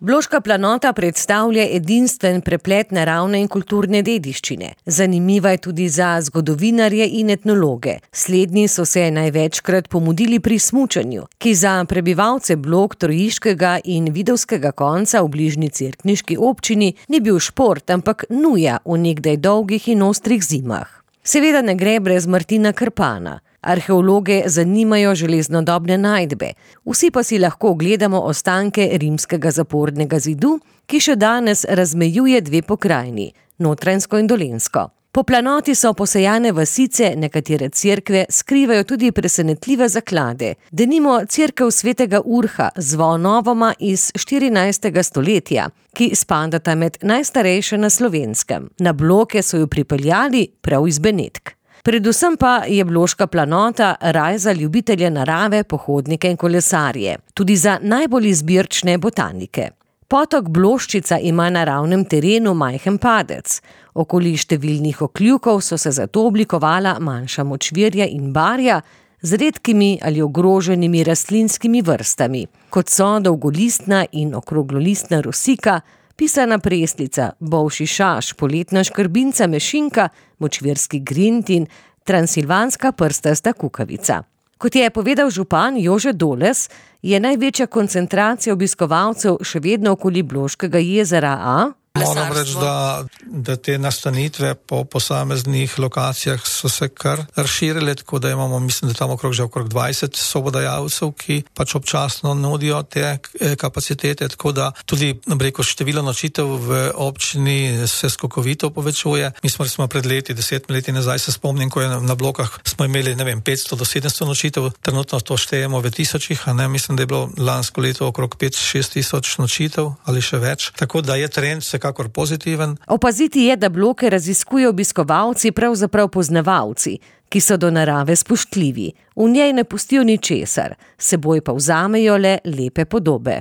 Bloška planota predstavlja edinstven preplet naravne in kulturne dediščine. Zanimiva je tudi za zgodovinarje in etnologe. Slednji so se največkrat pomudili pri smučanju, ki za prebivalce Blok, Trojiškega in Vidovskega konca v bližnji cerkniški občini ni bil šport, ampak nuja v nekdaj dolgih in ostrih zimah. Seveda ne gre brez Martina Krpana. Arheologe zanimajo železnodobne najdbe. Vsi pa si lahko ogledamo ostanke rimskega zapornega zidu, ki še danes razmejuje dve pokrajini, Notranjsko in Dolenjsko. Po planoti so posejane vasice, nekatere cerkve skrivajo tudi presenetljive zaklade. Denimo cerkev svetega Urha z zvonovoma iz 14. stoletja, ki spadata med najstarejše na Slovenskem. Na Bloke so jo pripeljali prav iz Benetk. Predvsem pa je Bloška planota raj za ljubitelje narave, pohodnike in kolesarje, tudi za najbolj izbirčne botanike. Potok Bloščica ima na ravnem terenu majhen padec. Okoli številnih okljukov so se zato oblikovala manjša močvirja in barja z redkimi ali ogroženimi rastlinskimi vrstami, kot so dolgolistna in okroglolistna rosika, pisana preslica, bolši šaš, poletna škrbinca mešinka, močvirski grind in transilvanska prstasta kukavica. Kot je povedal župan Jože Doles, je največja koncentracija obiskovalcev še vedno okoli Bloškega jezera, Moram reči, da te nastanitve po posameznih lokacijah so se kar razširile, tako da imamo, mislim, da tam okrog 20 sobodajalcev, ki pač občasno nudijo te kapacitete, tako da tudi, število nočitev v občini se skokovito povečuje. Mi smo pred 10 leti nazaj, se spomnim, ko je na Blokah smo imeli, 500 do 700 nočitev, trenutno to štejemo v tisočih, mislim, da je bilo lansko leto okrog 5-6 tisoč nočitev ali še več, tako da je trend kakor pozitiven. Opaziti je, da Bloke raziskujejo obiskovalci, pravzaprav poznavalci, ki so do narave spoštljivi. V njej ne pustijo ničesar, seboj pa vzamejo le lepe podobe.